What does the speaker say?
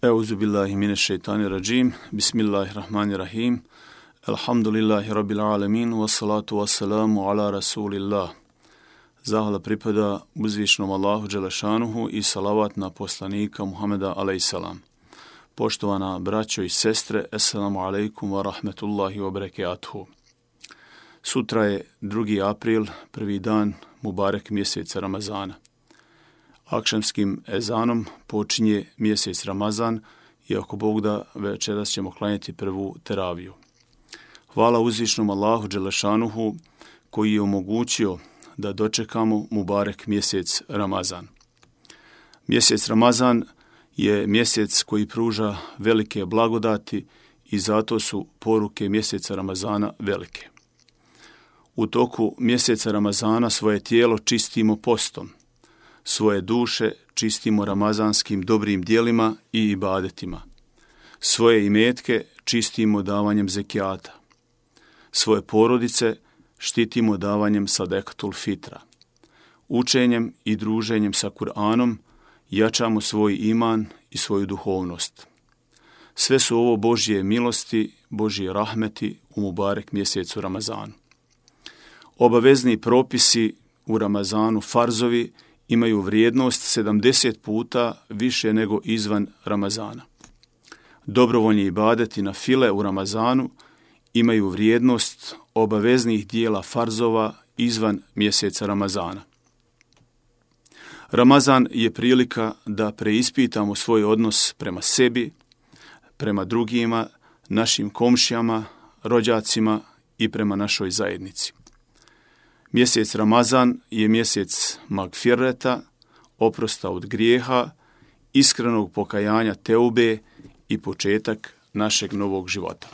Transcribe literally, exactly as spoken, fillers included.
Euzu billahi mineššeitanir-radžim. Bismillahirrahmanirrahim. Alhamdulillahi rabbil alamin wa salatu wa salamu ala rasulillah. Zahvala pripada uzvišnom Allahu dželešanuhu i salavat na poslanika Muhameda alejsalam. Poštovana braćo i sestre, assalamu alaikum wa rahmetullahi wa barakatuhu. Sutra je drugi april, prvi dan Mubarek mjeseca Ramazana. Akšamskim ezanom počinje mjesec Ramazan i ako Bog da, večeras ćemo klanjati prvu teraviju. Hvala uzvišnom Allahu dželešanuhu koji je omogućio da dočekamo Mubarek mjesec Ramazan. Mjesec Ramazan je mjesec koji pruža velike blagodati i zato su poruke mjeseca Ramazana velike. U toku mjeseca Ramazana svoje tijelo čistimo postom, svoje duše čistimo ramazanskim dobrim djelima i ibadetima, svoje imetke čistimo davanjem zekijata, svoje porodice štitimo davanjem sadekatul fitra, učenjem i druženjem sa Kur'anom jačamo svoj iman i svoju duhovnost. Sve su ovo Božje milosti, Božje rahmeti u Mubarek mjesecu Ramazanu. Obavezni propisi u Ramazanu, farzovi, imaju vrijednost sedamdeset puta više nego izvan Ramazana. Dobrovoljni ibadeti na file u Ramazanu imaju vrijednost obaveznih dijela farzova izvan mjeseca Ramazana. Ramazan je prilika da preispitamo svoj odnos prema sebi, prema drugima, našim komšijama, rođacima i prema našoj zajednici. Mjesec Ramazan je mjesec magfireta, oprosta od grijeha, iskrenog pokajanja teube i početak našeg novog života.